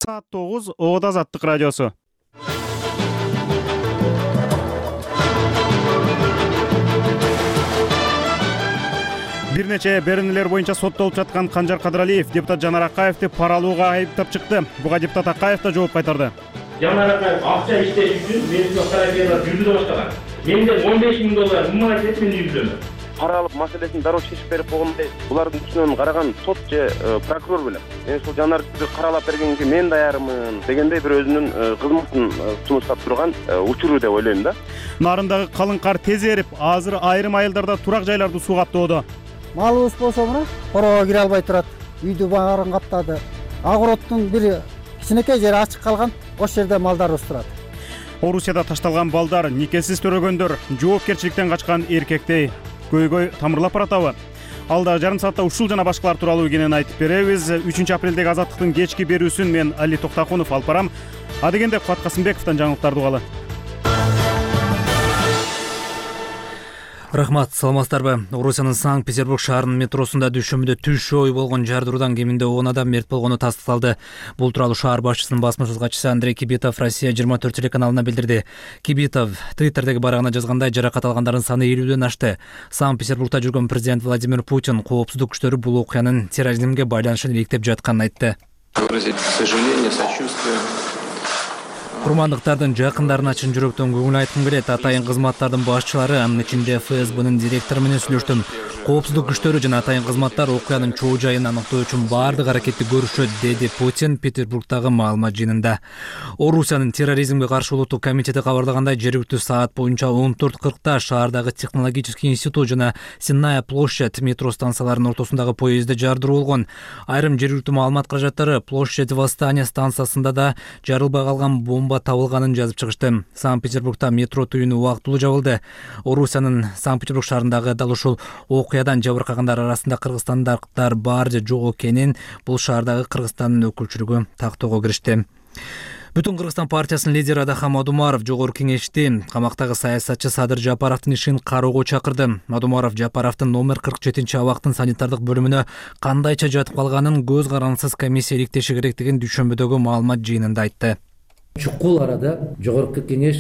Saat 9 Oğuz Azatlık Radyosu. Bir neçe беренелер боюнча соттолуп жаткан Канжар Кадыралиев депутат Жанар Акаевди пара алууга айыптап чыкты. Буга депутат Акаев да жооп кайтарды. Жанар Акаев акча иштеш үчүн мени сотторабиялар жүргүзө баштаган. Менден $15.000 мымай кетип мени жүргүзөмүн. Пара алып маселесин дароо чечип берип койгондой булардын үстүнөн караган сот же прокурор белем. Мен ушул Жанарды каралап бергенге мен даярмын дегендей бир өзүнүн кызматын сунуштап турган учуру деп ойлойм да. Нарындагы калың кар тез эрип, азыр айрым айылдарда турак жайларды суу каптоодо. Малыбыз болсо мына короого кире албай турат. Үйдү баарын каптады. Агороттун бир кичинекей жери ачык калган. Ошол жерде малдарыбыз турат. Орусияда ташталган балдар, никесиз төрөгөндөр, жоопкерчиликтен качкан эркектей көйгөй тамырлап баратабы? Алда жарым саатта ушул жана башкалар тууралуу кенен айтып беребиз. 3 апрелдеги Азаттыктын кечки берүүсүн мен Али Токтакунов алып барам. А дегенде Кубат Касымбековдон жаңылыктарды угалы. Рахмат, саламатсыздарбы? Орусиянын Санкт-Петербург шаарынын метросунда дүйшөмбүдө түш ой болгон жардыруудан кеминде 10 адам мерт болгону тастыкталды. Бул тууралуу шаар башчысынын басма-сөз катчысы Андрей Кибитов Россия 24 телеканалына билдирди. Кибитов Твиттердеги барагына жазгандай, жаракат алгандардын саны 50ден ашты. Санкт-Петербургда жүргөн президент Владимир Путин коопсуздук күчтөрү бул окуянын терроризмге байланышын иликтеп жатканын айтты. Выразить сожаление, сочувствие. Курмандыктардын жакындарына чын жүрөктөн көңүл айткым келет. Атайын кызматтардын башчылары, анын ичинде ФСБнын директору менен сүйлөштүм. Коопсуздук күчтөрү жана атайын кызматтар окуянын чоо жайын аныктоо үчүн баардык аракетти көрүшөт, деди Путин Петербургдагы маалымат жыйынында. Орусиянын терроризмге каршы улуттук комитети кабарлагандай, жергиликтүү саат боюнча 14:40 шаардагы технологический институт жана Сенная площадь метро станцияларынын ортосундагы поездде жардыруу болгон. Айрым жергиликтүү маалымат каражаттары площадь Восстания станциясында да жарылбай калган бомба табылганын жазып чыгышты. Санкт-Петербургда метро түйүнү убактылуу жабылды. Орусиянын Санкт-Петербург шаарындагы дал ушул окуядан жабыркагандар арасында кыргызстандыктар бар же жок экенин бул шаардагы Кыргызстандын өкүлчүлүгү тактоого киришти. Бүтүн Кыргызстан партиясынын лидери Адахан Мадумаров жогорку кеңешти камактагы саясатчы Садыр Жапаровдун ишин кароого чакырды. Мадумаров Жапаровдун номер 47-абактын санитардык бөлүмүнө кандайча жатып калганын көз карандысыз комиссия иликтеши керектигин дүйшөмбүдөгү маалымат жыйынында айтты. Чукул арада жогорку кеңеш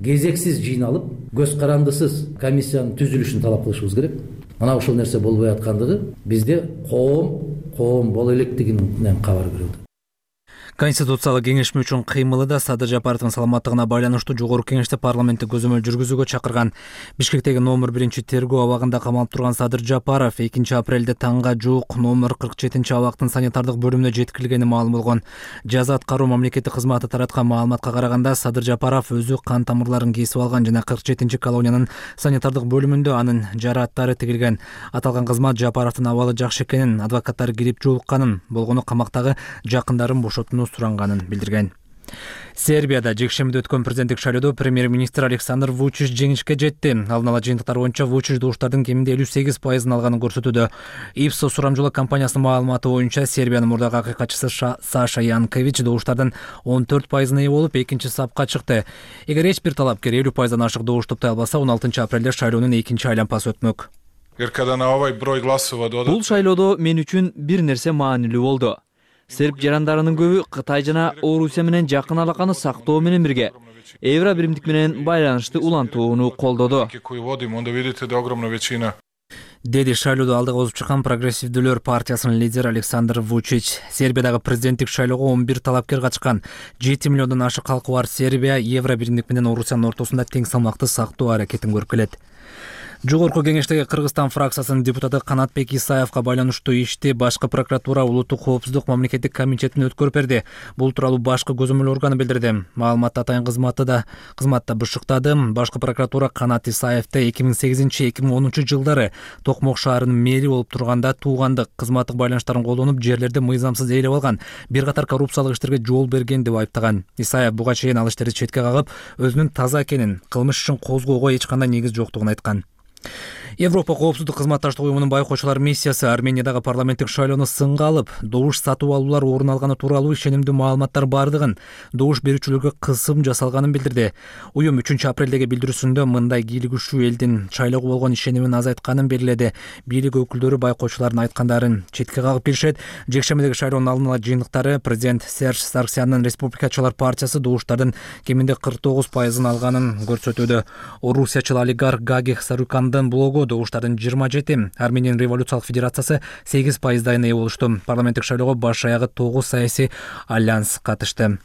кезексиз жыйналып, көз карандысыз комиссиянын түзүлүшүн талап кылышыбыз керек. Мына ушул нерсе болбой аткандыгы бизде коом боло электигинен кабар берилди. Конституциялык кеңешме үчүн кыймылы да Садыр Жапаровдун саламаттыгына байланыштуу жогорку кеңеште парламентти көзөмөл жүргүзүүгө чакырган. Бишкектеги номер 1-тергөө абагында камалып турган Садыр Жапаров 2 апрелде таңга жуук номер 47-абактын санитардык бөлүмүнө жеткирилгени маалым болгон. Жаза аткаруу мамлекеттик кызматы тараткан маалыматка караганда, Садыр Жапаров өзү кан тамырларын кесип алган жана 47-колониянын санитардык бөлүмүндө анын жарааттары тигилген. Аталган кызмат Жапаровдун абалы жакшы экенин, адвокаттар кирип жолукканын, болгону камактагы жакындарын бошотууну суранганын билдирген. Сербияда жекшембиде өткөн президенттик шайлоодо премьер-министр Александр Вучич жеңишке жетти. Алдын ала жыйынтыктар боюнча Вучич добуштардын кеминде 58% алганын көрсөтүүдө. Ipsos сурамжылык компаниясынын маалыматы боюнча Сербиянын мурдагы акыйкатчысы Саша Янкович добуштардын 14% ээ болуп, экинчи сапка чыкты. Эгер эч бир талапкер 50%дан ашык добуш топтой албаса, 16 апрелде шайлоонун экинчи айлампасы өтмөк. Бул шайлоодо мен үчүн бир нерсе маанилүү болду. Серб жарандарынын көбү Кытай жана Орусия менен жакын алаканы сактоо менен бирге евро биримдик менен байланышты улантууну колдоду. Деди шайлоодо алдыга озуп чыккан Прогрессивдүүлөр партиясынын лидери Александр Вучич. Сербиядагы президенттик шайлоого 11 талапкер катышкан. 7 миллиондон ашык калкы бар Сербия евро биримдик менен Орусиянын ортосунда тең салмакты сактоо аракетин көрүп келет. Жогорку кеңештеги Кыргызстан фракциясынын депутаты Канатбек Исаевка байланыштуу ишти башкы прокуратура улуттук коопсуздук мамлекеттик комитетине өткөрүп берди. Бул тууралуу башкы көзөмөл органы билдирди. Маалыматты атайын кызматта бышыктады. Башкы прокуратура Канат Исаевди 2008-2010 жылдары Токмок шаарынын мэри болуп турганда туугандык, кызматтык байланыштарын колдонуп, жерлерди мыйзамсыз ээлеп алган, бир катар коррупциялык иштерге жол берген деп айыптаган. Исаев буга чейин ал иштерди четке кагып, өзүнүн таза экенин, кылмыш ишин козгоого эч кандай негиз жоктугун айткан. Европа коопсуздук кызматташтык уюмунун байкоочулар миссиясы Армениядагы парламенттик шайлоону сынга алып, добуш сатып алуулар орун алганы тууралуу ишенимдүү маалыматтар бардыгын, добуш берүүчүлөргө кысым жасалганын билдирди. Уюм 3-апрелдеги билдирүүсүндө мындай кийлигишүү элдин шайлоого болгон ишенимин азайтканын белгиледи. Бийлик өкүлдөрү байкоочулардын айткандарын четке кагып келишет. Жекшембидеги шайлоонун алдын ала жыйынтыктары президент Серж Сарксяндын Республикачылар партиясы добуштардын кеминде 49% алганын көрсөтүүдө. Орусиячыл олигарх Гаги Сарукандын блогу добуштардын 27, Армениянын революциялык федерациясы 8% ээ болушту. Парламенттик шайлоого баш аягы 9 саясий альянс катышты.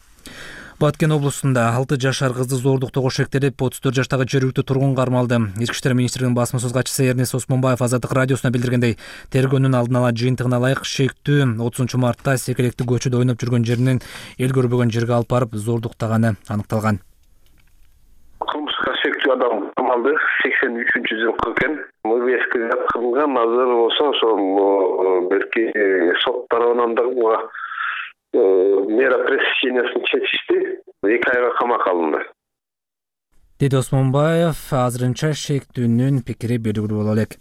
Баткен облусунда 6 жашар кызды зордуктоого шектелип, 34 жаштагы жергиликтүү тургун кармалды. Ички иштер министрлигинин басма сөз катчысы Эрнест Осмонбаев Азаттык радиосуна билдиргендей, тергөөнүн алдын ала жыйынтыгына ылайык шектүү 30 мартта Секелектик көчөдө ойноп жүргөн жеринен эл көрбөгөн жерге алып барып зордуктаганы аныкталган. Кылмышка шектүү адам камалды 83-жылкы экен. Мывеска жаткырылган, азыр болсо ошол берки сот тарабынан да буга мера пресечениясын чечишти. 2 айга камакка алынды. Деди Осмонбаев, азырынча шектүүнүн пикири белгилүү боло элек.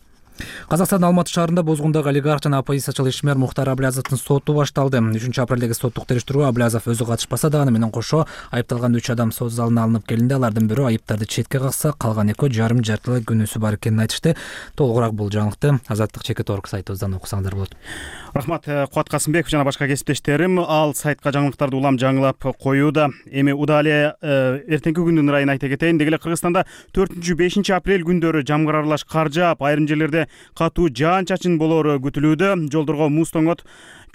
Казакстандын Алматы шаарында бозгундагы олигарх жана оппозициячыл ишмер Мухтар Аблязовдун соту башталды. 3-апрелдеги соттук териштирүүгө Аблязов өзү катышпаса дагы менен кошо айыпталган 3 адам сот залына алынып келинди. Алардын бирөө айыптарды четке какса, калган экөө жарым-жартылай күнөөсү бар экенин айтышты. Толугураак бул жаңылыкты Азаттык Чекит.org сайтыбыздан окусаңыздар болот. Рахмат Кубат Касымбеков жана башка кесиптештерим. Ал сайтка жаңылыктарды улам жаңылап коюуда. Эми удале эртеңки күндүн ырайын айта кетейин. Деги эле Кыргызстанда 4-5 апрель күндөрү жамгыр аралаш кар жаап, айрым жерлерде катуу жаан-чачын болоору күтүлүүдө. Жолдорго муз тоңот,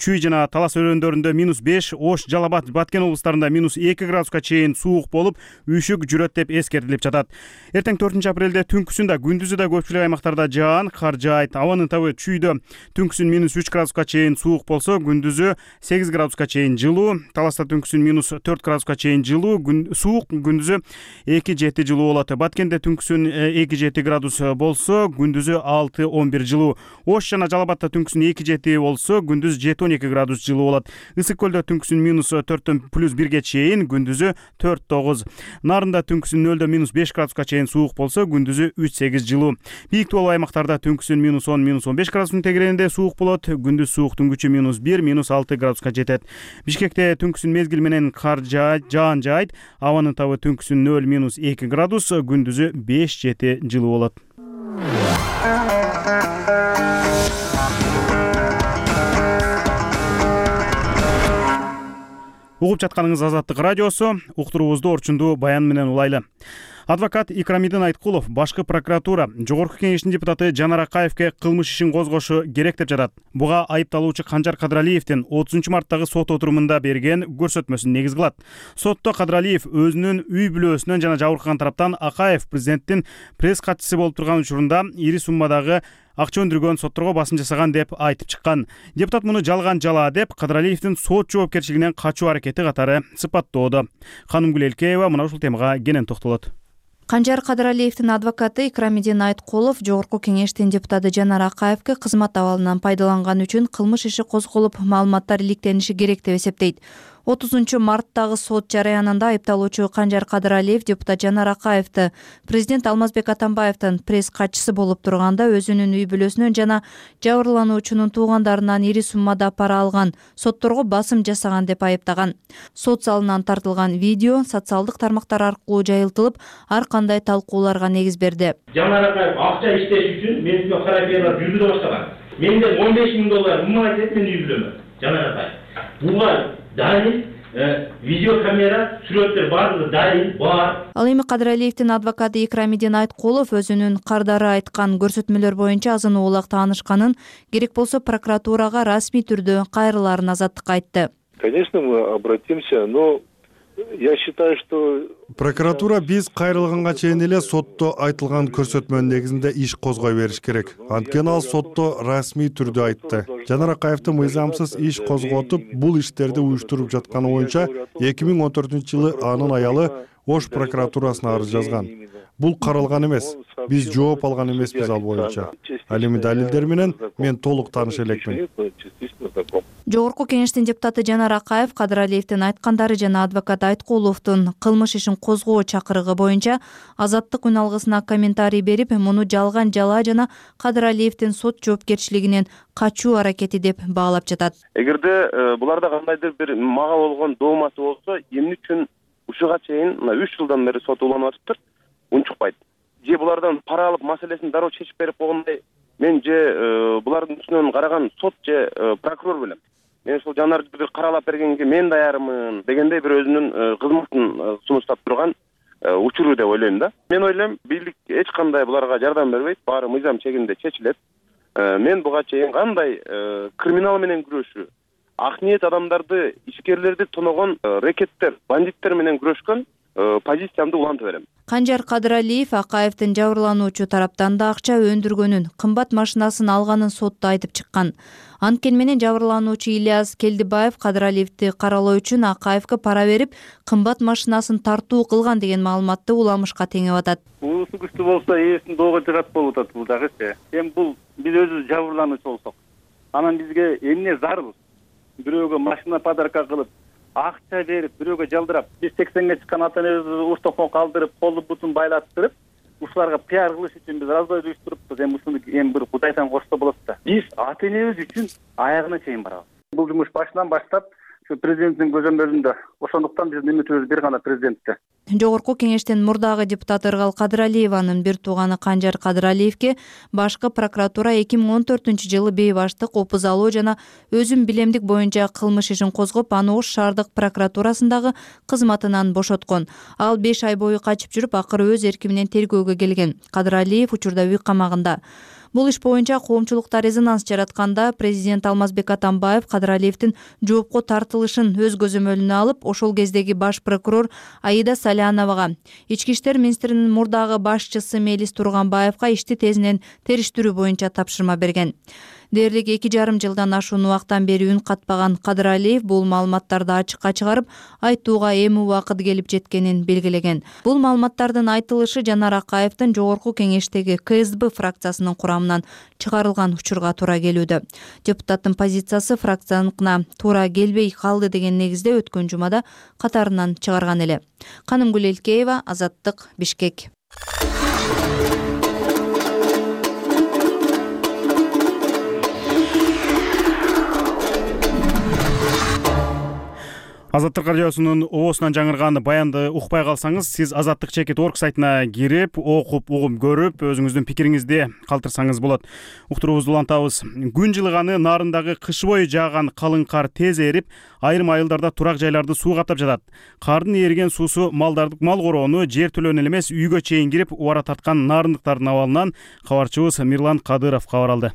Чүй жана Талас өрөөндөрүндө -5, Ош, Жалал Абад, Баткен облустарында -2 градуска чейин суук болуп, үйшүк жүрөт деп эскертилип жатат. Эртең 4-апрелде түнкүсүндө, күндүзү да көпчүлүк аймактарда жаан, кар жаайт. Абанын табы Чүйдө түнкүсүн -3 градуска чейин суук болсо, күндүзү 8 градуска чейин жылуу. Таласта түнкүсүн -4 градуска чейин жылуу, суук, күндүзү 2-7 жылуу болот. Баткенде түнкүсүн 2-7 градус болсо, күндүзү 6-11 жылуу. Ош жана Жалал Абадта түнкүсүн 2-7 болсо, күндүз 7-12 градус жылуу болот. Ысык көлдө түнкүсүн -4-төн +1ге чейин, күндүзү 4-9. Нарында түнкүсүн 0-дөн -5 градуска чейин суук болсо, күндүзү 3-8 жылуу. Бийик тоолуу аймактарда түнкүсүн -10, -15 градустун тегерегинде суук болот, күндүз сууктун күчү -1, -6 градуска жетет. Бишкекте түнкүсүн мезгил менен кар жаан жаайт. Абанын табы түнкүсүн 0-2 градус, күндүзү 5-7 жылуу болот. Угуп жатканыңыз Азаттык радиосу. Уктуруубузду орчундуу баян менен улайлы. Адвокат Икрамидин Айткулов башкы прокуратура Жогорку кеңештин депутаты Жанар Акаевке кылмыш ишин козгошу керек деп жатат. Буга айыпталуучу Канжар Кадралиевдин 30 марттагы сот отурумунда берген көрсөтмөсүн негиз кылат. Сотто Кадралиев өзүнүн үй бүлөсүнөн жана жабыркаган тараптан Акаев президенттин пресс катчысы болуп турган учурунда ири суммадагы акча өндүргөн, сотторго басым жасаган деп айтып чыккан. Депутат муну жалган жала деп Кадралиевдин сот жоопкерчилигинен качуу аракети катары сыпаттоодо. Ханымгүл Элкеева мына ушул темага кенен токтолот. Канжар Кадралиевдин адвокаты Икрамидин Айткулов Жогорку кеңештин депутаты Жанар Акаевке кызмат абалынан пайдаланган үчүн кылмыш иши козголуп, маалыматтар иликтениши керек деп эсептейт. 30 марттагы сот жараянында айыпталуучу Канжар Кадралиев депутат Жанар Акаевди президент Алмазбек Атамбаевдин пресс катчысы болуп турганда өзүнүн үй бүлөсүнөн жана жабырлануучунун туугандарынан ири суммада пара алган, сотторго басым жасаган деп айыптаган. Сот залынан тартылган видео социалдык тармактар аркылуу жайылтылып, ар кандай талкууларга негиз берди. Жанар Акаев акча иштеш үчүн менин карапиялар жүргүзө баштаган. Менден $15.000 мымалат этип мен үй бүлөмө. Жанар Акаев. Буга дайын видеокамера, сүрөттөр баардыгы дайын бар. Ал эми Кадралиевдин адвокаты Икрамидин Айткулов өзүнүн кардары айткан көрсөтмөлөр боюнча азын оолак таанышканын, керек болсо прокуратурага расмий түрдө кайрылаарын Азаттыкка айтты. Конечно, мы обратимся, но я считаю, что прокуратура биз кайрылганга чейин эле сотто айтылган көрсөтмөнүн негизинде иш козгой бериш керек. Анткени ал сотто расмий түрдө айтты. Жанар Акаевдин мыйзамсыз иш козготуп, бул иштерди уюштуруп жатканы боюнча 2014-жылы анын аялы Ош прокуратурасына арыз жазган. Бул каралган эмес. Биз жооп алган эмеспиз ал боюнча. Ал эми далилдер менен мен толук тааныш элекмин. Жогорку кеңештин депутаты Жанар Акаев Кадыр Алиевдин айткандары жана адвокат Айткуловдун кылмыш ишин козгоо чакырыгы боюнча Азаттык үн алгысына комментарий берип, муну жалган жалаа жана Кадыр Алиевдин сот жоопкерчилигинен качуу аракети деп баалап жатат. Эгерде буларда кандайдыр бир мага болгон доомасы болсо, эмне үчүн ушуга чейин 3 жылдан бери сот уланып атыптыр, унчукпайт. Же булардан пара алып маселесин дароо чечип берип койгондой, мен же булардын үстүнөн караган сот же прокурор билем. Мен ушул Жанарды бир каралап бергенге мен даярмын дегендей бир өзүнүн кызматын сунуштап турган учуру деп ойлойм да. Мен ойлойм, бийлик эч кандай буларга жардам бербейт, баары мыйзам чегинде чечилет. Мен буга чейин кандай криминал менен күрөшүү, ак ниет адамдарды, ишкерлерди тоногон рекеттер, бандиттер менен күрөшкөн позициямды улантып берем. Канжар Кадыралиев Акаевдин жабырлануучу тараптан да акча өндүргөнүн, кымбат машинасын алганын сотто айтып чыккан. Анткени менен жабырлануучу Ильяс Келдибаев Кадыралиевди каралоо үчүн Акаевге пара берип, кымбат машинасын тартуу кылган деген маалыматты уламышка теңеп атат. Уусу күчтүү болсо ээсин доого жыгат болуп атат бул дагычы. Эми бул биз өзүбүз жабырлануучу болсок, анан бизге эмне зарыл? Бирөөгө машина подарка кылып, акча берип, бирөөгө жалдырап, биз 80ге чыккан ата энебизди уштокон калдырып, колу бутун байлаттырып, ушуларга пиар кылыш үчүн биз раздой уюштуруп, эми ушуну эми бир Кудайдан корксо болот да. Биз ата энебиз үчүн аягына чейин барабыз. Бул жумуш башынан баштап президенттин көзөмөлүндө. Ошондуктан биздин үмүтүбүз бир гана президентте. Жогорку кеңештин мурдагы депутаты Ыргал Кадыралиеванын бир тууганы Канжар Кадыралиевге башкы прокуратура 2014-жылы бей баштык опуз алуу жана өзүм билемдик боюнча кылмыш ишин козгоп, аны Ош шаардык прокуратурасындагы кызматынан бошоткон. Ал 5 ай бою качып жүрүп, акыры өз эрки менен тергөөгө келген. Кадыралиев учурда үй камагында. Бул иш боюнча коомчулукта резонанс жаратканда президент Алмазбек Атамбаев Кадыралиевдин жоопко тартылышын өз көзөмөлүнө алып, ошол кездеги баш прокурор Аида Саляновага, ички иштер министринин мурдагы башчысы Мелис Турганбаевга ишти тезинен териштирүү боюнча тапшырма берген. Дээрлик 2,5 жылдан ашуун убактан бери үн катпаган Кадыралиев бул маалыматтарды ачыкка чыгарып, айтууга эми убакыт келип жеткенин белгилеген. Бул маалыматтардын айтылышы Жанар Акаевдин жогорку кеңештеги КСДБ фракциясынын курамынан чыгарылган учурга туура келүүдө. Депутаттын позициясы фракцияныкына туура келбей калды деген негизде өткөн жумада катарынан чыгарган эле. Канымгүл Элкеева, Азаттык, Бишкек. Азаттык радиосунун оосунан жаңырган баянды укпай калсаңыз, сиз azattik.org сайтына кирип, окуп, угуп көрүп, өзүңүздүн пикириңизди калтырсаңыз болот. Уктуруубузду улантабыз. Күн жылыганы нарындагы кыш бою жааган калың кар тез эрип, айрым айылдарда турак жайларды суу каптап жатат. Кардын эрген суусу мал короону жер төлөөнү эле эмес, үйгө чейин кирип, убара тарткан нарындыктардын абалынан кабарчыбыз Мирлан Кадыров кабар алды.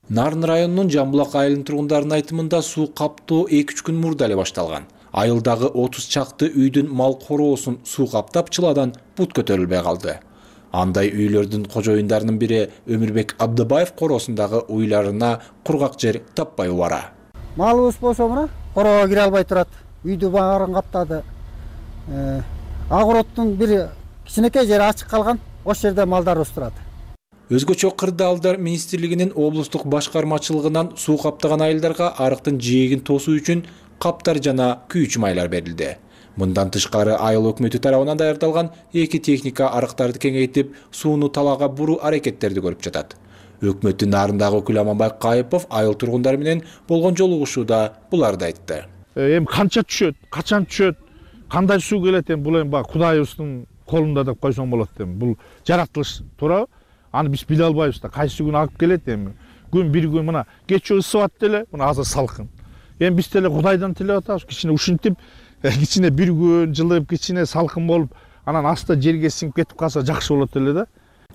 Нарын районунун Жамбулак айылынын тургундарынын айтымында суу каптоо 2-3 күн мурда эле башталган. Айылдагы 30 чакты үйдүн мал короосун суу каптап, чыладан бут көтөрүлбөй калды. Андай үйлөрдүн кожоюндарынын бири Өмүрбек Абдыбаев короосундагы уйларына кургак жер таппай убара. Малыбыз болсо мына короого кире албай турат. Үйдү баарын каптады. Агороттун бир кичинекей жери ачык калган. Ошол жерде малдарыбыз турат. Өзгөчө Кырдаалдар министрлигинин облустук башкармачылыгынан суу каптаган айылдарга арыктын жээгин тосуу үчүн каптар жана күйүүчү майлар берилди. Мындан тышкары айыл өкмөтү тарабынан даярдалган 2 техника арыктарды кеңейтип, сууну талаага буруу аракеттерди көрүп жатат. Өкмөттүн нарындагы өкүлү Аманбай Кайыпов айыл тургундары менен болгон жолугушууда буларды айтты. Эми канча түшөт, качан түшөт, кандай суу келет, эми бул эми Кудайыбыздын колунда деп койсоң болот. Эми бул жаратылыш туурабы? Аны биз биле албайбыз да, кайсы күн алып келет эми. Күн бир күн мына кечээ ысып атты эле, мына азыр салкын. Эми биз деле Кудайдан тилеп атабыз, кичине ушинтип, кичине бир күн жылып, кичине салкын болуп, анан аста жерге сиңип кетип калса жакшы болот эле да.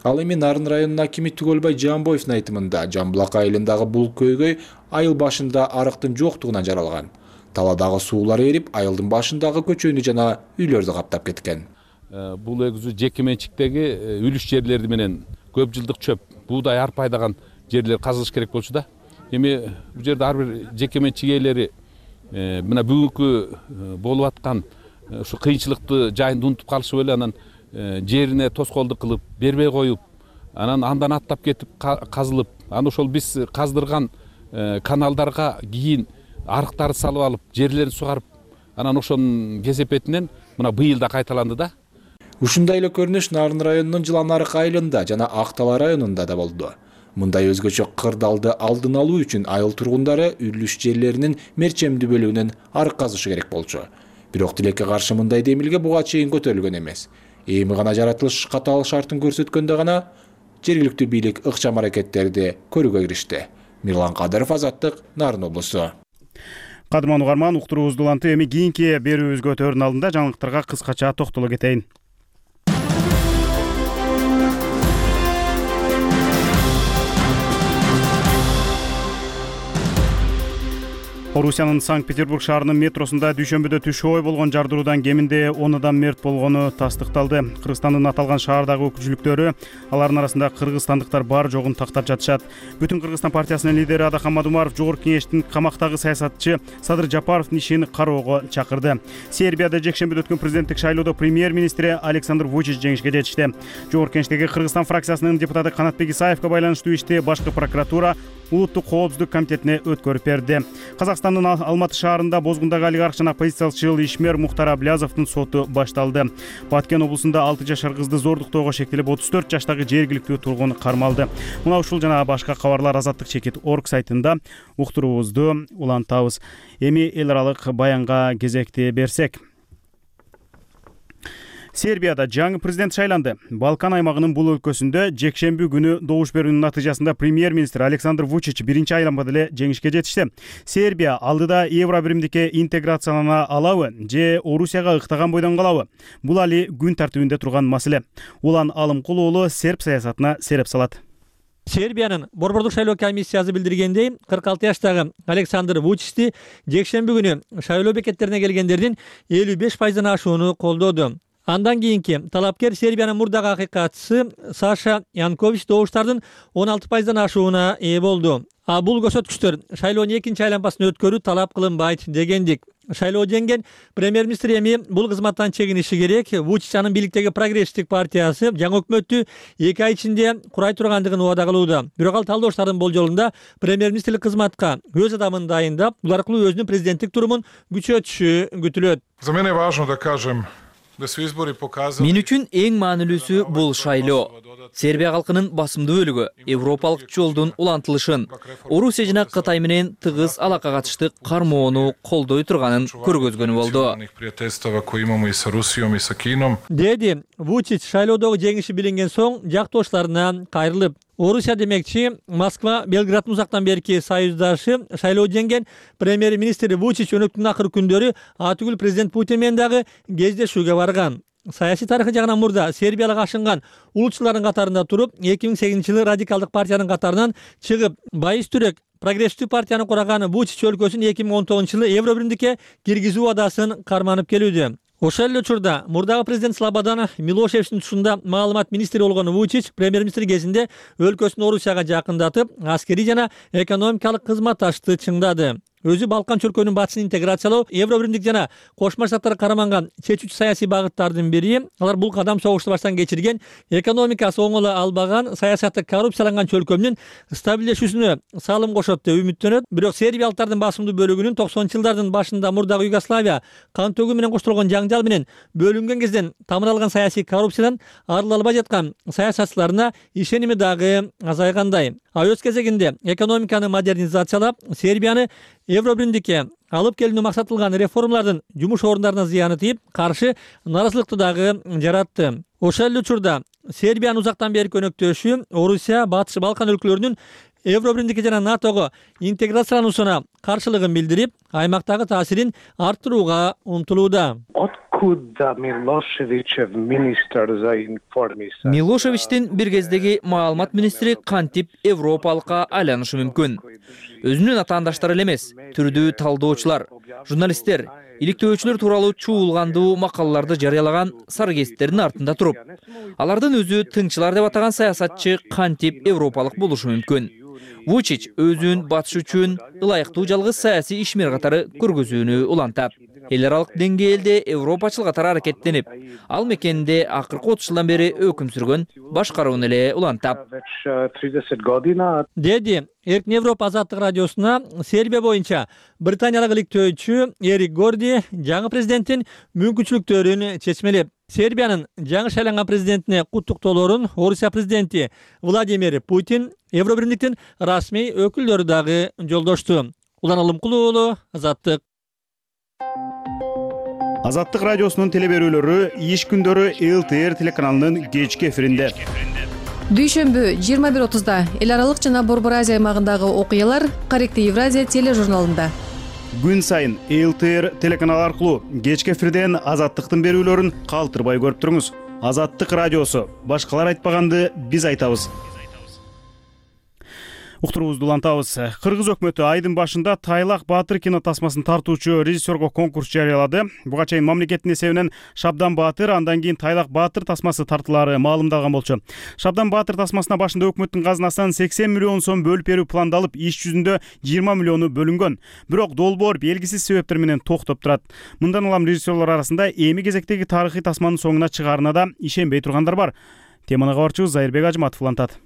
Ал эми Нарын районунун акими Түгөлбай Жамбоевдин айтымында Жамбулак айылындагы бул көйгөй айыл башында арыктын жоктугунан жаралган. Таладагы суулар эрип, айылдын башындагы көчөнү жана үйлөрдү каптап кеткен. Бул өзү жеке менчиктеги үлүш жерлерди менен көп жылдык чөп, буудай арпа айдаган жерлер казылыш керек болчу да. Эми бул жерде ар бир жеке менчик ээлери мына бүгүнкү болуп аткан ушу кыйынчылыкты жайында унутуп калышып эле анан жерине тоскоолдук кылып бербей коюп, анан андан аттап кетип казылып, анан ошол биз каздырган каналдарга кийин арыктарды салып алып, жерлерин сугарып, анан ошонун кесепетинен мына быйыл да кайталанды да. Ушундай эле көрүнүш Нарын районунун Жыланарык айылында жана Актала районунда да болду. Мындай өзгөчө кырдаалды алдын алуу үчүн айыл тургундары үлүш жерлеринин мерчемдүү бөлүгүнөн арык казышы керек болчу. Бирок тилекке каршы мындай демилге буга чейин көтөрүлгөн эмес. Эми гана жаратылыш катаал шартын көрсөткөндө гана жергиликтүү бийлик ыкчам аракеттерди көрүүгө киришти. Мирлан Кадыров, Азаттык, Нарын облусу. Кадырман угарман, уктуруубузду улантып, эми кийинки берүүбүзгө өтөөрдүн алдында жаңылыктарга кыскача токтоло кетейин. Орусиянын Санкт-Петербург шаарынын метросунда дүйшөмбүдө түшүү ой болгон жардыруудан кеминде 10 адам мерт болгону тастыкталды. Кыргызстандын аталган шаардагы өкүлчүлүктөрү алардын арасында кыргызстандыктар бар жогун тактап жатышат. Бүтүн Кыргызстан партиясынын лидери Адахан Мадумаров Жогорку кеңештин камактагы саясатчы Садыр Жапаровдун ишин кароого чакырды. Сербияда жекшембиде өткөн президенттик шайлоодо премьер-министри Александр Вучич жеңишке жетишти. Жогорку кеңештеги Кыргызстан фракциясынын депутаты Канатбек Исаевге байланыштуу ишти башкы прокуратура Улуттук коопсуздук комитетине өткөрүп берди. Казакстандын Алматы шаарында бозгундагы олигарх жана оппозициялчыл ишмер Мухтар Аблязовдун соту башталды. Баткен облусунда 6 жашар кызды зордуктоого шектелип 34 жаштагы жергиликтүү тургун кармалды. Мына ушул жана башка кабарлар Азаттык.org сайтында уктуруубузду улантабыз. Эми эл аралык баянга кезекти берсек. Сербияда жаңы президент шайланды. Балкан аймагынын бул өлкөсүндө жекшемби күнү добуш берүүнүн натыйжасында премьер-министр Александр Вучич биринчи айланмада эле жеңишке жетишти. Сербия алдыда евро биримдикке интеграциялана алабы же Орусияга ыктаган бойдон калабы? Бул али күн тартибинде турган маселе. Улан Алымкул уулу серб саясатына сереп салат. Сербиянын Борбордук шайлоо комиссиясы билдиргендей, 46 жаштагы Александр Вучичти жекшемби күнү шайлоо бекеттерине келгендердин 55%-дан ашууну колдоду. Андан кийинки талапкер Сербиянын мурдагы акыйкатчысы Саша Янкович добуштардын 16%-дан ашууна ээ болду. Бул көрсөткүчтөр шайлоонун экинчи айланмасын өткөрүү талап кылынбайт дегендик. Шайлоо жеңген премьер-министр эми бул кызматтан чегиниши керек. Вучич анын бийликтеги прогрессивдик партиясы жаңы өкмөттү 2 ай ичинде курай тургандыгын убада кылууда. Бирок ал талдооштардын болжолунда премьер-министрлик кызматка өз адамын дайындап, бул аркылуу өзүнүн президенттик турумун күчөтүшү күтүлөт. За мене важно да кажем Мен үчүн эң маанилүүсү бул шайлоо. Сербия калкынын басымдуу бөлүгү европалык жолдун улантылышын, Орусия жана Кытай менен тыгыз алакага чыгышты кармоону колдой турганын көргөзгөнү болду. Деди Вучич шайлоодогу жеңиши билинген соң жактоошторуна кайрылып. Орусия демекчи, Москва Белграддын узактан берки союздашы шайлоо жеңген премьер-министр Вучич өнөктүн акыркы күндөрү атүгүл президент Путин менен дагы кездешүүгө барган. Саясий тарыхы жагынан мурда сербиялык ашынган улутчулардын катарында туруп, 2008-жылы радикалдык партиянын катарынан чыгып, байыз түрөк прогрессивдүү партияны кураган Вучич өлкөсүн 2019-жылы евро биримдикке киргизүү убадасын карманып келүүдө. Ошол эле учурда мурдагы президент Слободан Милошевичтин тушунда маалымат министри болгон Вучич премьер-министр кезинде өлкөсүн Орусияга жакындатып, аскерий жана экономикалык кызматташты чыңдады. Өзү Балкан чөлкөөнүн батышын интеграциялоо, евро биримдик жана Кошмо Штаттар караманган чечүүчү саясий багыттардын бири. Алар бул кадам согушту баштан кечирген, экономикасы оңоло албаган, саясаты коррупцияланган чөлкөөнүн стабилдешүүсүнө салым кошот деп үмүттөнөт. Бирок сербиялыктардын басымдуу бөлүгүнүн 90-жылдардын башында мурдагы Югославия кан төгүү менен коштолгон жаңжал менен бөлүнгөн кезден тамыр алган саясий коррупциядан арыла албай жаткан саясатчыларына ишеними дагы азайгандай. Өз кезегинде экономиканы модернизациялап, Сербияны евро биримдикке алып келүүнү максатталган реформалардын жумуш орундарына зыяны тийип, каршы нааразылыкты дагы жаратты. Ошол эле учурда Сербиянын узактан берки өнөктөшү Орусия, Батыш Балкан өлкөлөрүнүн евро биримдикке жана НАТОго интеграциялануусуна каршылыгын билдирип, аймактагы таасирин арттырууга умтулууда. Милошевичтин бир кездеги маалымат министри кантип европалыкка айланышы мүмкүн? Өзүнүн атаандаштары эле эмес, түрдүү талдоочулар, журналисттер, иликтөөчүлөр тууралуу чуулгандуу макалаларды жарыялаган сарыгезиттердин артында туруп, алардын өзү тыңчылар деп атаган саясатчы кантип европалык болушу мүмкүн? Вучич өзүн батыш үчүн ылайыктуу жалгыз саясий ишмер катары көргөзүүнү улантат. эл аралык деңгээлде европачыл катары аракеттенип, ал мекенде акыркы 30 жылдан бери өкүм сүргөн башкарууну эле улантат, деди Эркин Европа азаттык радиосуна Сербия боюнча британиялык иликтөөчү Эрик Горди жаңы президенттин мүмкүнчүлүктөрүн чечмелеп, Сербиянын жаңы шайланган президентине куттуктоолорун Орусия президенти Владимир Путин, Евробиримдиктин расмий өкүлдөрү дагы жолдошту. Улан Алымкулуу, Азаттык. Азаттык радиосунун телеберүүлөрү иш күндөрү ЛТР телеканалынын кечки эфиринде. Дүйшөмбү 21:30 эл аралык жана Борбор Азия аймагындагы окуялар Корректив Евразия тележурналында. Күн сайын ЛТР телеканалы аркылуу кечки эфирден Азаттыктын берүүлөрүн калтырбай көрүп туруңуз. Азаттык радиосу. Башкалар айтпаганды биз айтабыз. Уктуруубузду улантабыз. Кыргыз өкмөтү айдын башында Тайлак Баатыр кино тасмасын тартуучу режиссерго конкурс жарыялады. Буга чейин мамлекеттин эсебинен Шабдан Баатыр, андан кийин Тайлак Баатыр тасмасы тартылары маалымдалган болчу. Шабдан Баатыр тасмасына башында өкмөттүн казынасынан 80 миллион сом бөлүп берүү пландалып, иш жүзүндө 20 миллиону бөлүнгөн. Бирок долбоор белгисиз себептер менен токтоп турат. Мындан улам режиссерлор арасында эми кезектеги тарыхый тасманын соңуна чыгаарына да ишенбей тургандар бар. Теманы кабарчыбыз Зайырбек Ажыматов улантат.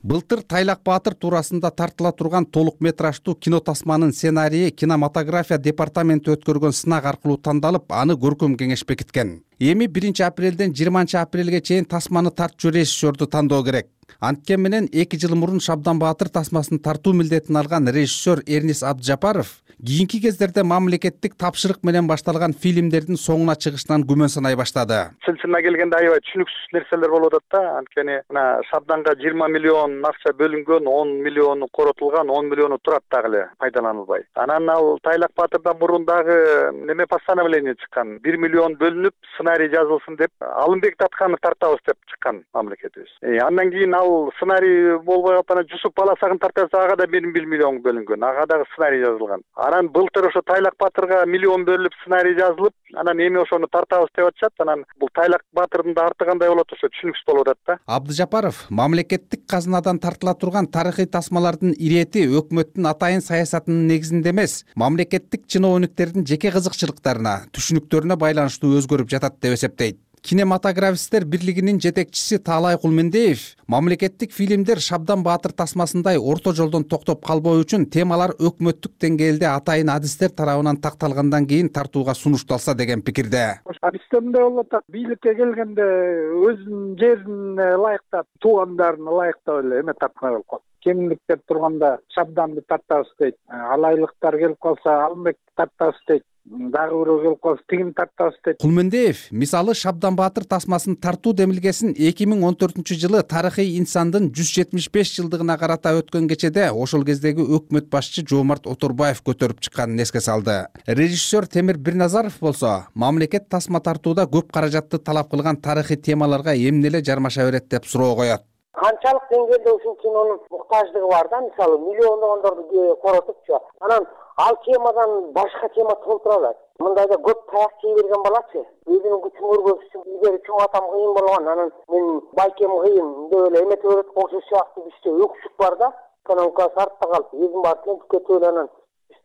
Былтыр Тайлак Баатыр туурасында тартыла турган толук метраждуу кино тасманын сценарийи кинематография департаменти өткөргөн сынак аркылуу тандалып, аны көркөм кеңеш бекиткен. Эми 1 апрелден 20 апрелге чейин тасманы тартчу режиссерду тандоо керек. Анткени менен 2 жыл мурун Шабдан Баатыр тасмасын тартуу милдетин алган режиссер Эрнис Абдыжапаров кийинки кездерде мамлекеттик тапшырык менен башталган фильмдердин соңуна чыгышынан күмөн санай баштады. Сылчына келгенде аябай түшүнүксүз нерселер болуп атат да. Анткени мына Шабданга 20 миллион акча бөлүнгөн, 10 миллиону коротулган, 10 миллиону турат дагы эле пайдаланылбай. Анан ал Тайлак Баатырдан мурун дагы неме постановление чыккан. 1 миллион бөлүнүп, сценарий жазылсын деп, Алымбек Татканды тартабыз деп чыккан мамлекетибиз. Андан кийин ал сценарий болбой калып, Жусуп Баласагын тартабыз, ага да 1 миллион бөлүнгөн. Ага дагы сценарий жазылган. Анан былтыр ошо Тайлак Баатырга миллион бөлүп сценарий жазылып, анан эми ошону тартабыз деп атышат. Анан бул Тайлак Баатырдын да арты кандай болот, ошо түшүнүксүз болуп атат да. Абдыжапаров мамлекеттик казынадан тартыла турган тарыхый тасмалардын ирети өкмөттүн атайын саясатынын негизинде эмес, мамлекеттик чиновниктердин жеке кызыкчылыктарына, түшүнүктөрүнө байланыштуу өзгөрүп жатат деп эсептейт. Кинематографисттер бирлигинин жетекчиси Таалай Кулмендеев мамлекеттик фильмдер Шабдан Баатыр тасмасындай орто жолдон токтоп калбоо үчүн темалар өкмөттүк деңгээлде атайын адистер тарабынан такталгандан кийин тартууга сунушталса деген пикирде. Адистеринде болуп атат, бийликке келгенде өзүнүн жерине ылайыктап, туугандарына ылайыктап эле эме тарткан болуп калат. Кеминдиктер турганда Шабданды тартабыз дейт, алайлыктар келип калса Алымбекти тартабыз дейт, дагы бирөө келип калса тигин тартабыз дейт. Кулмендеев мисалы Шабдан Баатыр тасмасын тартуу демилгесин 2014 жылы тарыхый инсандын 175 жылдыгына карата өткөн кечеде ошол кездеги өкмөт башчы Жоомарт Оторбаев көтөрүп чыкканын эске салды. Режиссер Темир Бирназаров болсо мамлекет тасма тартууда көп каражатты талап кылган тарыхый темаларга эмне эле жармаша берет деп суроо коет. Канчалык деңгээлде ушул кинонун муктаждыгы бар да, мисалы миллиондогондорду коротупчу, анан ал темадан башка тема толтура алат. Мындайда көп таяк жей берген балачы, өзүнүн күчүн көргөзүш үчүн илгери чоң атам кыйын болгон, анан мен байкем кыйын деп эле эметип берет, ошол сыяктуу бизде өксүк бар да, экономикасы артта калып, өзүн баары тентикке төлөп анан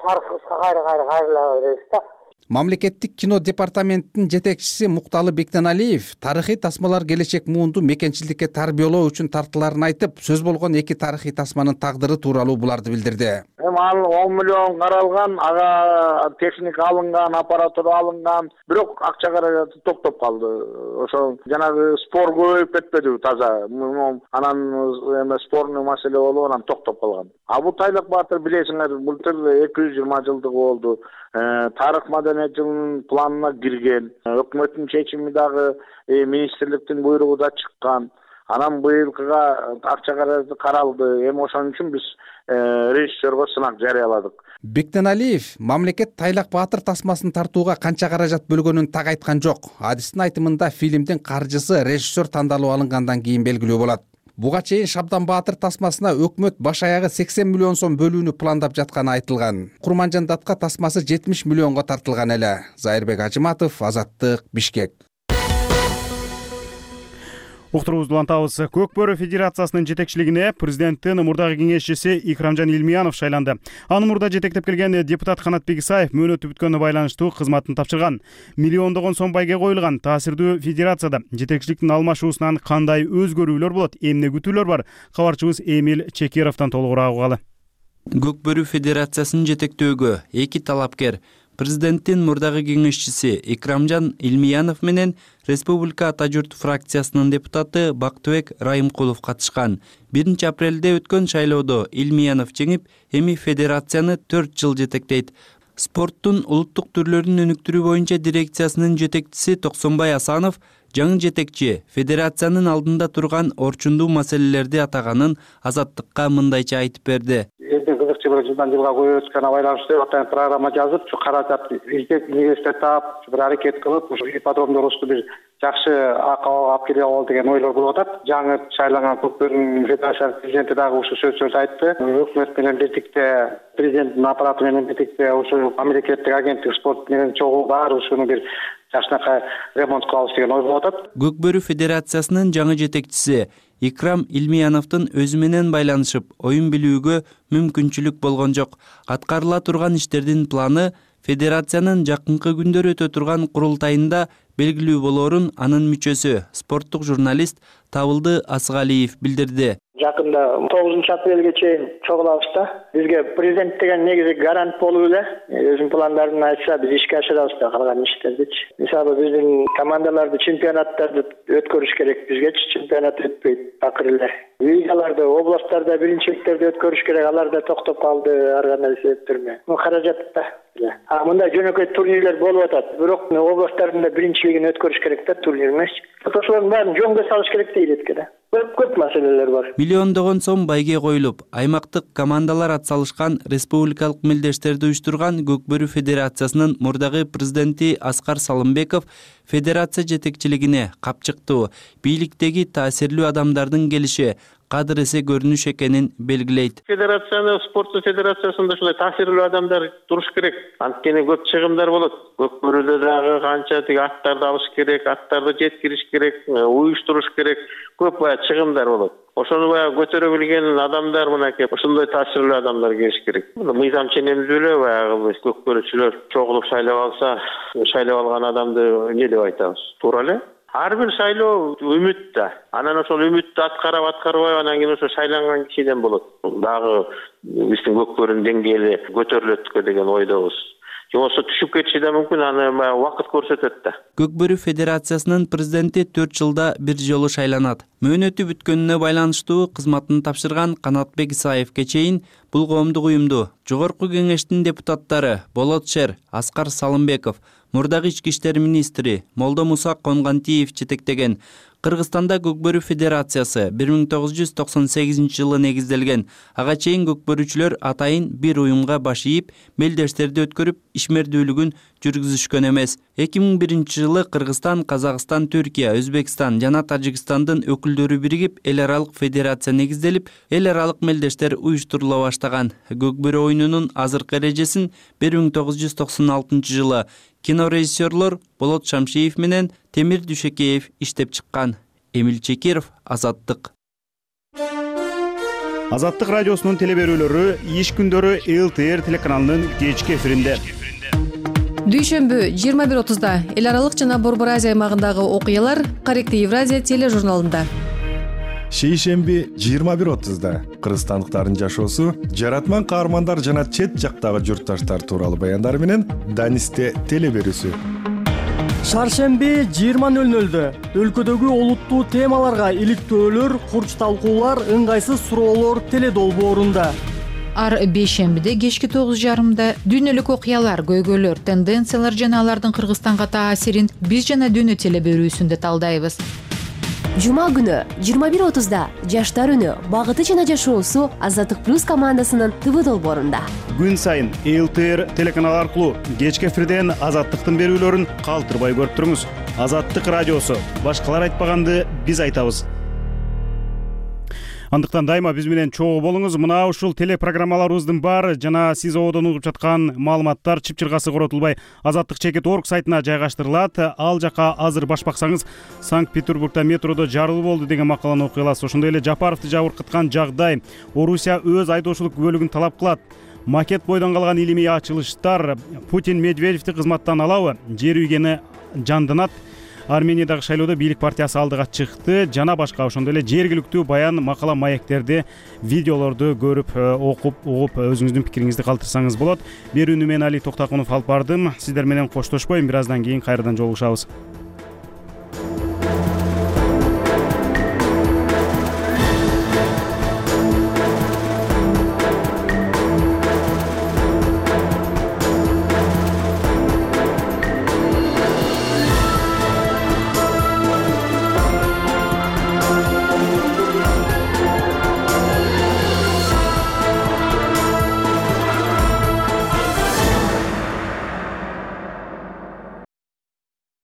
тарыхыбызга кайра беребиз да. Мамлекеттик кино департаментинин жетекчиси Мукталы Бектеналиев тарыхый тасмалар келечек муунду мекенчиликке тарбиялоо үчүн тартыларын айтып, сөз болгон 2 тарыхый тасманын тагдыры тууралуу буларды билдирди. Ал 10 миллион каралган, ага техника алынган, аппаратура алынган, бирок акча каражаты токтоп калды. Ошо жанагы спор көбөйүп кетпеди таза. Анан эме спорный маселе болуп, анан токтоп калган. А бул Тайлак Баатыр билесиңер, былтыр 220 жылдыгы болду. Тарых маданият жылынын планына кирген. Өкмөттүн чечими дагы министрликтин буйругу да чыккан. Анан быйылкыга акча каражаты каралды. Эми ошон үчүн биз режиссерго сынак жарыяладык. Бектеналиев мамлекет Тайлак Баатыр тасмасын тартууга канча каражат бөлгөнүн так айткан жок. Адистин айтымында фильмдин каржысы режиссер тандалып алынгандан кийин белгилүү болот. Буга чейин Шабдан Баатыр тасмасына өкмөт баш аягы 80 миллион сом бөлүүнү пландап жатканы айтылган. Курманжандатка тасмасы 70 миллионго тартылган эле. Зайырбек Ажыматов, Азаттык, Бишкек. Уктуруубузду улантабыз. Көк бөрү федерациясынын жетекчилигине президенттин мурдагы кеңешчиси Икрамжан Илмиянов шайланды. Аны мурда жетектеп келген депутат Канатбек Исаев мөөнөтү бүткөнүнө байланыштуу кызматын тапшырган. Миллиондогон сом байге коюлган таасирдүү федерацияда жетекчиликтин алмашуусунан кандай өзгөрүүлөр болот, эмне күтүүлөр бар? Кабарчыбыз Эмил Чекировдон толугураак угалы. Көк бөрү федерациясын жетектөөгө эки талапкер президенттин мурдагы кеңешчиси Икрамжан Илмиянов менен Республика Ата журт фракциясынын депутаты Бактыбек Райымкулов катышкан. 1-апрелде өткөн шайлоодо Илмиянов жеңип, эми федерацияны 4 жыл жетектейт. Спорттун улуттук түрлөрүн өнүктүрүү боюнча дирекциясынын жетекчиси Токсонбай Асанов жаңы жетекчи федерациянын алдында турган орчундуу маселелерди атаганын Азаттыкка мындайча айтып берди. Кызыкчы бир жылдан жылга көбөйүп өткөнүнө байланыштуу атайын программа жазып, ушу каражат университет таап, бир аракет кылып, ушу ипподромдорубузду бир жакшы акыбалга алып келе алалы деген ойлор болуп атат. Жаңы шайланган Көк бөрү федерациясынын президенти дагы ушу сөздөрдү айтты. Өкмөт менен бирдикте, президенттин аппараты менен бирдикте ушу мамлекеттик агенттик спорт менен чогуу бар ушуну бир жакшынакай ремонт кылабыз деген ой болуп атат. Көк бөрү федерациясынын жаңы жетекчиси Икрам Илмияновдун өзү менен байланышып, оюн билүүгө мүмкүнчүлүк болгон жок. Аткарыла турган иштердин планы федерациянын жакынкы күндөр өтө турган курултайында белгилүү болоорун анын мүчөсү, спорттук журналист Табылды Асыгалиев билдирди. Жакында 9-апрелге чейин чогулабыз да. Бизге президент деген негизи гарант болуп эле өзүнүн пландарын айтса, биз ишке ашырабыз да калган иштердичи. Мисалы биздин командаларды чемпионаттарды өткөрүш керек, бизгечи чемпионат өтпөйт такыр эле. Лигаларды, областтарда биринчиликтерди өткөрүш керек, алар да токтоп калды ар кандай себептер менен. Бул каражат да. Мындай жөнөкөй турнирлер болуп атат, бирок областтардын биринчилигин өткөрүш керек да, турнир эмес. Ошолордун баарын жөнгө салыш керек дейт экен. Көп маселелер бар. Миллиондогон сом байге коюлуп, аймактык командалар атсалышкан республикалык мелдештерди уюштурган Көк бөрү федерациясынын мурдагы президенти Аскар Салымбеков федерация жетекчилигине капчыктуу, бийликтеги таасирлүү адамдардын келиши кадыр эсе көрүнүш экенин белгилейт. Федерацияны, спорттун федерациясында ушундай таасирлүү адамдар туруш керек. Анткени көп чыгымдар болот. Көк бөрүдө дагы канча тиги аттарды алыш керек, аттарды жеткириш керек, уюштуруш керек. Көп чыгымдар болот. Ошону көтөрө билген адамдар мынакей ушундай таасирлүү адамдар келиш керек. Мыйзам ченемдүү эле баягы көк бөрүчүлөр чогулуп шайлап алса, шайлап алган адамды эмне деп айтабыз? Туура эле. Ар бир шайлоо үмүт да. Анан ошол үмүттү аткарбай анан кийин ошо шайланган кишиден болот. Дагы биздин көк бөрүнүн деңгээли көтөрүлөткө деген ойдобуз. Жоксо түшүп кетиши да мүмкүн, аны убакыт көрсөтөт да. Көк бөрү федерациясынын президенти 4 жылда бир жолу шайланат. Мөөнөтү бүткөнүнө байланыштуу кызматын тапшырган Канатбек Исаевке чейин бул коомдук уюмду жогорку кеңештин депутаттары Болот Шер, Аскар Салымбеков, мурдагы ички иштер министри Молдо Муса Конгантиев жетектеген. Кыргызстанда Көк бөрү федерациясы 1998 жылы негизделген. Ага чейин көк бөрүчүлөр атайын бир уюмга баш ийип, мелдештерди өткөрүп, ишмердүүлүгүн жүргүзүшкөн эмес. 2001 жылы Кыргызстан, Казакстан, Түркия, Өзбекстан жана Тажикстандын өкүлдөрү биригип, эл аралык федерация негизделип, эл аралык мелдештер уюштурула баштаган. Көк бөрү оюнунун азыркы эрежесин 1996 жылы кинорежиссерлор Болот Шамшиев менен Темир Дүйшөкеев иштеп чыккан. Эмил Чекиров, Азаттык. Азаттык радиосунун телеберүүлөрү иш күндөрү ЛТР телеканалынын кечки эфиринде. Дүйшөмбү 21:30 эл аралык жана Борбор Азия аймагындагы окуялар Корректив Евразия тележурналында. Шейшемби 21:30 кыргызстандыктардын жашоосу, жаратман каармандар жана чет жактагы журтташтар тууралуу баяндар менен Данисте телеберүүсү. Шаршемби 20:00 өлкөдөгү олуттуу темаларга иликтөөлөр, курч талкуулар, ыңгайсыз суроолор теледолбоорунда. Ар бейшембиде кечки 9:30 дүйнөлүк окуялар, көйгөйлөр, тенденциялар жана алардын Кыргызстанга таасирин биз жана дүйнө телеберүүсүндө талдайбыз. Жума күнү 21:30 жаштар үнү, багыты жана жашоосу Азаттык плюс командасынын ТВ долбоорунда. Күн сайын ЛТР телеканалы аркылуу кечки эфирден Азаттыктын берүүлөрүн калтырбай көрүп туруңуз. Азаттык радиосу, башкалар айтпаганды биз айтабыз. Андыктан дайыма биз менен чогуу болуңуз. Мына ушул телепрограммаларыбыздын баары жана сиз ободон угуп жаткан маалыматтар чыпчыргасы коротулбай azatlyk.org сайтына жайгаштырылат. Ал жака азыр баш баксаңыз, Санкт-Петербургда метродо жарылуу болду деген макаланы окуй аласыз. Ошондой эле Жапаровду жабыркаткан жагдай, Орусия өз айдоочулук күбөлүгүн талап кылат. Макет бойдон калган илимий ачылыштар, Путин Медведевди кызматтан алабы, жер үйгени жанданат, Армениядагы шайлоодо бийлик партиясы алдыга чыкты жана башка. Ошондой эле жергиликтүү баян, макала, маектерди, видеолорду көрүп, окуп, угуп өзүңүздүн пикириңизди калтырсаңыз болот. Берүүнү мен Али Токтакунов алып бардым. Сиздер менен коштошпойм, бир аздан кийин кайрадан жолугушабыз.